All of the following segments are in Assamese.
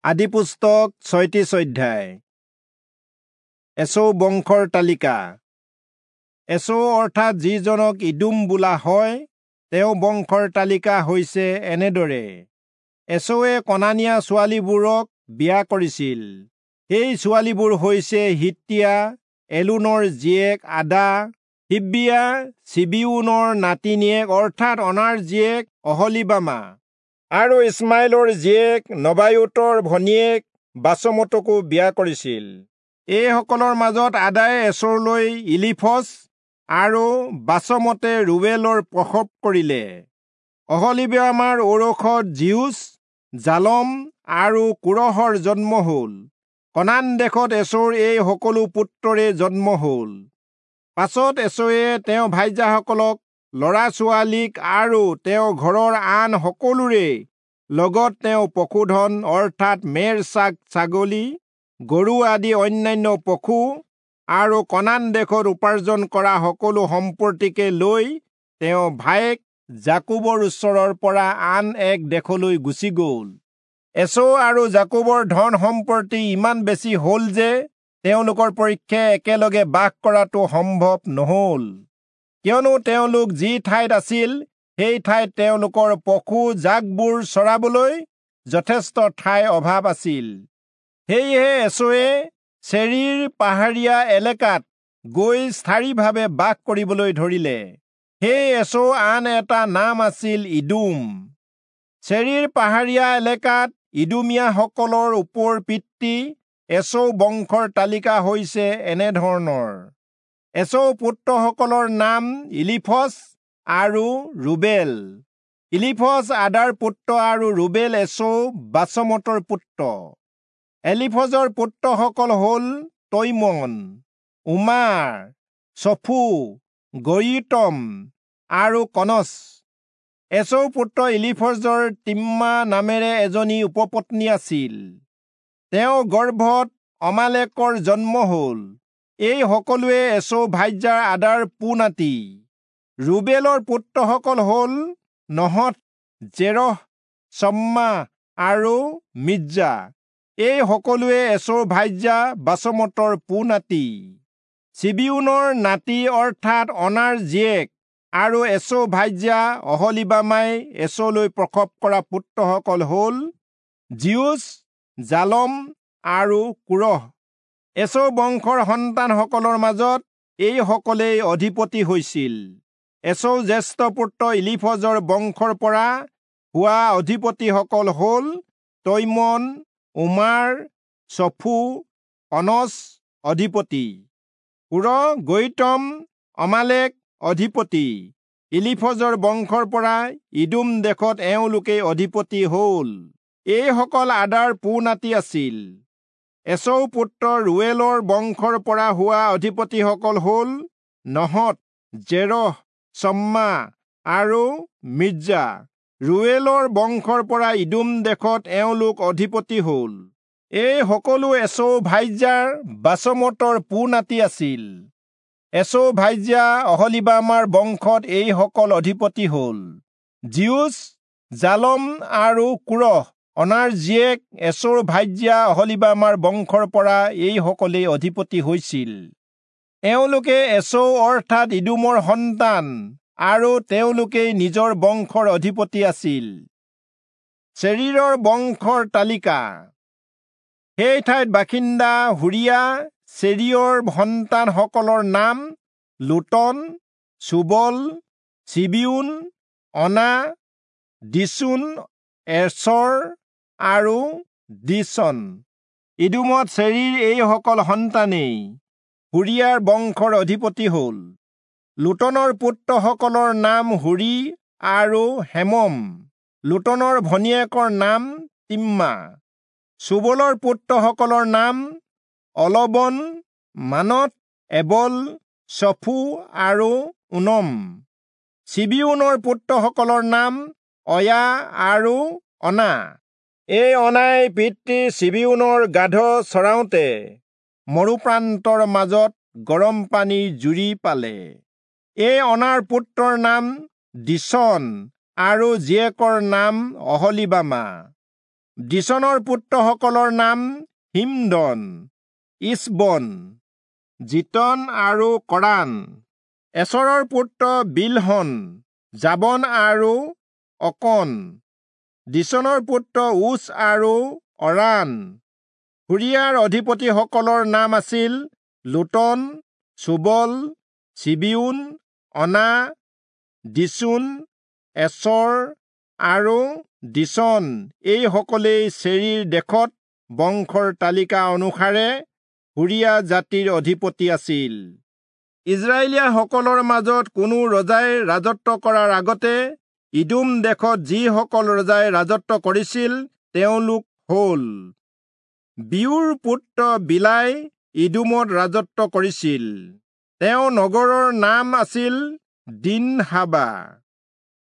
আদিপুস্তক 36 অধ্যায়। এচৌ বংশৰ তালিকা। এচৌ অৰ্থাৎ যিজনক ইদোম বোলা হয়, তেওঁ বংশৰ তালিকা হৈছে এনেদৰে। এচৌৱে কনানীয়া ছোৱালীবোৰক বিয়া কৰিছিল। সেই ছোৱালীবোৰ হৈছে হিত্তীয়া এলোনৰ জীয়েক আদা, হিব্বীয়া চিবিয়োনৰ নাতিনীয়েক অৰ্থাৎ অনাৰ জীয়েক অহলীবামা, আৰু ইছমাইলৰ জীয়েক নবায়োতৰ ভনীয়েক বাচমতকো বিয়া কৰিছিল। এইসকলৰ মাজত আদায়ে এচৌলৈ ইলীফজ আৰু বাচমতে ৰূৱেলৰ প্ৰসৱ কৰিলে। অহলীবামাৰ ঔৰসত যিউচ, জালম আৰু কোৰহৰ জন্ম হ'ল। কনান দেশত এচৌৰ এই সকলো পুত্ৰৰে জন্ম হ'ল। পাছত এচৌৱে তেওঁ ভাইজাসকলক, ল'ৰা ছোৱালীক আৰু তেওঁ ঘৰৰ আন সকলোৰে লগত তেওঁ পশুধন অৰ্থাৎ মেৰ, ছাগ, ছাগলী, গৰু আদি অন্যান্য পশু আৰু কনান দেশত উপাৰ্জন কৰা সকলো সম্পত্তিকে লৈ তেওঁ ভায়েক যাকোবৰ ওচৰৰ পৰা আন এক দেশলৈ গুচি গ'ল। এচৌ আৰু যাকোবৰ ধন সম্পত্তি ইমান বেছি হ'ল যে তেওঁলোকৰ পক্ষে একেলগে বাস কৰাটো সম্ভৱ নহ'ল, কিয়নো তেওঁলোক যি ঠাইত আছিল সেই ঠাইত তেওঁলোকৰ পশু জাকবোৰ চৰাবলৈ যথেষ্ট ঠাইৰ অভাৱ আছিল। সেয়েহে এচৌৱে চেৰীৰ পাহাৰীয়া এলেকাত গৈ স্থায়ীভাৱে বাস কৰিবলৈ ধৰিলে। সেই এচৌ আন এটা নাম আছিল ইদোম। চেৰীৰ পাহাৰীয়া এলেকাত ইদোমীয়াসকলৰ ওপৰ পিতৃ এচৌ বংশৰ তালিকা হৈছে এনেধৰণৰ। এচৌ পুত্ৰসকলৰ নাম ইলীফজ আৰু ৰুবেল। ইলীফজ আদাৰ পুত্ৰ আৰু ৰুবেল এচৌ বাচমতৰ পুত্ৰ। এলিফজৰ পুত্ৰসকল হ'ল তৈমন, ওমাৰ, চফু, গয়ীতম আৰু কনচ। এচৌ পুত্ৰ ইলীফজৰ তিম্মা নামেৰে এজনী উপপত্নী আছিল। তেওঁ গৰ্ভত অমালেকৰ জন্ম হ'ল। এই সকলোৱে এচৌ ভাইজাৰ আদাৰ পোনাতি। ৰুবেলৰ পুত্ৰসকল হ'ল নহথ, জেৰহ, চম্মা আৰু মিৰ্জা। এই সকলোৱে এচৌ ভাইজা বাচমতৰ পোনাতি। চিবিয়োনৰ নাতি অৰ্থাৎ অনাৰ জীয়েক আৰু এচৌ ভাইজা অহলীবামাই এচৌলৈ প্ৰসৱ কৰা পুত্ৰসকল হ'ল যিউচ, জালম আৰু কোৰহ। এচৌ বংশৰ সন্তানসকলৰ মাজত এই সকলেই অধিপতি হৈছিল। এচৌ জ্যেষ্ঠ পুত্ৰ ইলীফজৰ বংশৰ পৰা হোৱা অধিপতিসকল হ'ল তৈমন, ওমাৰ, চফু, কনচ অধিপতি, কোৰহ, গৌতম, অমালেক অধিপতি। ইলীফজৰ বংশৰ পৰা ইদোম দেশত এওঁলোকেই অধিপতি হ'ল। এইসকল আদাৰ পোনাতি আছিল। এচৌ পুত্ৰ ৰুৱেলৰ বংশৰ পৰা হোৱা অধিপতিসকল হ'ল নহথ, জেৰহ, চম্মা আৰু মিৰ্জা। ৰুৱেলৰ বংশৰ পৰা ইদোম দেশত এওঁলোক অধিপতি হ'ল। এই সকলো এচৌ ভাইজাৰ বাচমতৰ পোনাতি আছিল। এচৌ ভাইজা অহলীবামাৰ বংশত এইসকল অধিপতি হ'ল যিউচ, জালম আৰু কোৰহ। অনাৰ জীয়েক এচৌৰ ভাইজা অহলীবামাৰ বংশৰ পৰা এইসকলেই অধিপতি হৈছিল। এওঁলোকে এচৌ অৰ্থাৎ ইদোমৰ সন্তান আৰু তেওঁলোকেই নিজৰ বংশৰ অধিপতি আছিল। চেৰীৰৰ বংশৰ তালিকা। সেই ঠাইত বাসিন্দা হুৰীয়া চেৰীয়ৰ সন্তানসকলৰ নাম লোটন, চুবল, চিবিয়োন, অনা, দিচোন, এচৰ আৰু দীচন। ইদোমত চেৰীৰ এইসকল সন্তানেই হুৰীয়াৰ বংশৰ অধিপতি হ'ল। লোটনৰ পুত্ৰসকলৰ নাম হুৰী আৰু হেমম। লোটনৰ ভনীয়েকৰ নাম তিম্মা। চুবলৰ পুত্ৰসকলৰ নাম অলবন, মানত, এবল, চফু আৰু ওনম। চিবিয়োনৰ পুত্ৰসকলৰ নাম অয়া আৰু অনা। এই অনাই পিতৃ চিবিয়োনৰ গাধ চৰাওঁতে মৰুপ্ৰান্তৰ মাজত গৰম পানীৰ জুৰি পালে। এই অনাৰ পুত্ৰৰ নাম দীচন আৰু জীয়েকৰ নাম অহলীবামা। দীচনৰ পুত্ৰসকলৰ নাম হিমদন, ইচবন, জিতন আৰু কৰান। এচৰৰ পুত্ৰ বিলহন, যাবন আৰু অকন। দীচনৰ পুত্ৰ ঊচ আৰু অৰান। হুৰীয়াৰ অধিপতিসকলৰ নাম আছিল লোটন, চোবল, চিবিয়োন, অনা, দীচোন, এচৰ আৰু দীচন। এই সকলেই চেৰীৰ দেশত বংশৰ তালিকা অনুসাৰে হুৰীয়া জাতিৰ অধিপতি আছিল। ইস্ৰায়েলীয়াসকলৰ মাজত কোনো ৰজাই ৰাজত্ব কৰাৰ আগতে ইদোম দেশত যিসকল ৰজাই ৰাজত্ব কৰিছিল তেওঁলোক হ'ল: বিয়োৰ পুত্ৰ বিলাই ইদোমত ৰাজত্ব কৰিছিল। তেওঁ নগৰৰ নাম আছিল দিনহাবা।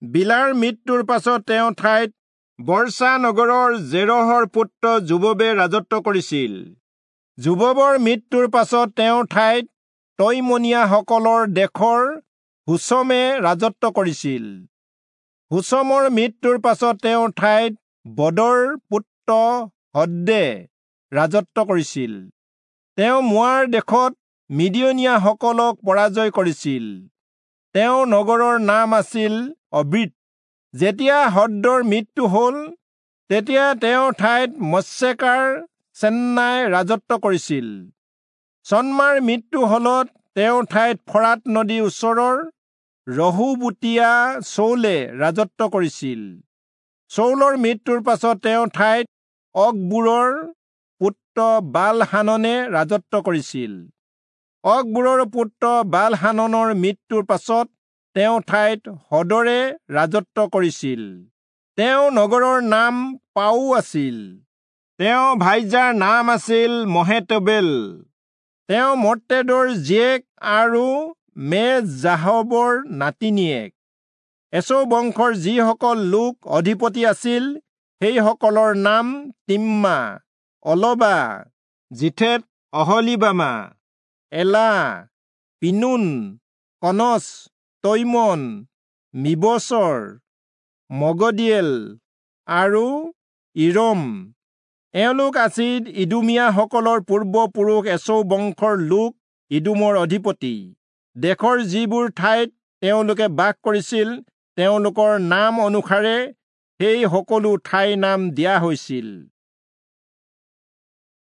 বিলাৰ মৃত্যুৰ পাছত তেওঁ ঠাইত বৰ্ষা নগৰৰ জেৰহৰ পুত্ৰ যোবাবে ৰাজত্ব কৰিছিল। যোবাবৰ মৃত্যুৰ পাছত তেওঁৰ ঠাইত তৈমনীয়াসকলৰ দেশৰ হুচমে ৰাজত্ব কৰিছিল। হুচমৰ মৃত্যুৰ পাছত তেওঁৰ ঠাইত বদৰ পুত্ৰ হদ্দে ৰাজত্ব কৰিছিল। তেওঁ মোৱাৰ দেশত মিদিয়নীয়াসকলক পৰাজয় কৰিছিল। তেওঁৰ নগৰৰ নাম আছিল অবীত। যেতিয়া হদ্দৰ মৃত্যু হ'ল, তেতিয়া তেওঁৰ ঠাইত মচ্ছেকাৰ চেন্নাই ৰাজত্ব কৰিছিল। চন্মাৰ মৃত্যু হলত তেওঁৰ ঠাইত ফৰাত নদীৰ ওচৰৰ ৰহোবোতীয়া চৌলে ৰাজত্ব কৰিছিল। চৌলৰ মৃত্যুৰ পাছত তেওঁৰ ঠাইত অকবোৰৰ পুত্ৰ বালহাননে ৰাজত্ব কৰিছিল। অকবোৰৰ পুত্ৰ বালহাননৰ মৃত্যুৰ পাছত তেওঁৰ ঠাইত হদৰে ৰাজত্ব কৰিছিল। তেওঁৰ নগৰৰ নাম পাও আছিল। তেওঁ ভাইজাৰ নাম আছিল মহেতবেল। তেওঁ মত্ৰেদৰ জীয়েক আৰু মেজাহবৰ নাতিনীয়েক। এচৌ বংশৰ যিসকল লোক অধিপতি আছিল সেইসকলৰ নাম তিম্মা, অলবা, জিথেত, অহলীবামা, এলা, পিনোন, কনচ, তৈমন, মিবচৰ, মগদিয়েল আৰু ইৰম। এওঁলোক আছিল ইদোমীয়াসকলৰ পূৰ্বপুৰুষ এচৌ বংশৰ লোক ইদোমৰ অধিপতি। দেশৰ যিবোৰ ঠাইত তেওঁলোকে বাস কৰিছিল তেওঁলোকৰ নাম অনুসাৰে সেই সকলো ঠাইৰ নাম দিয়া হৈছিল।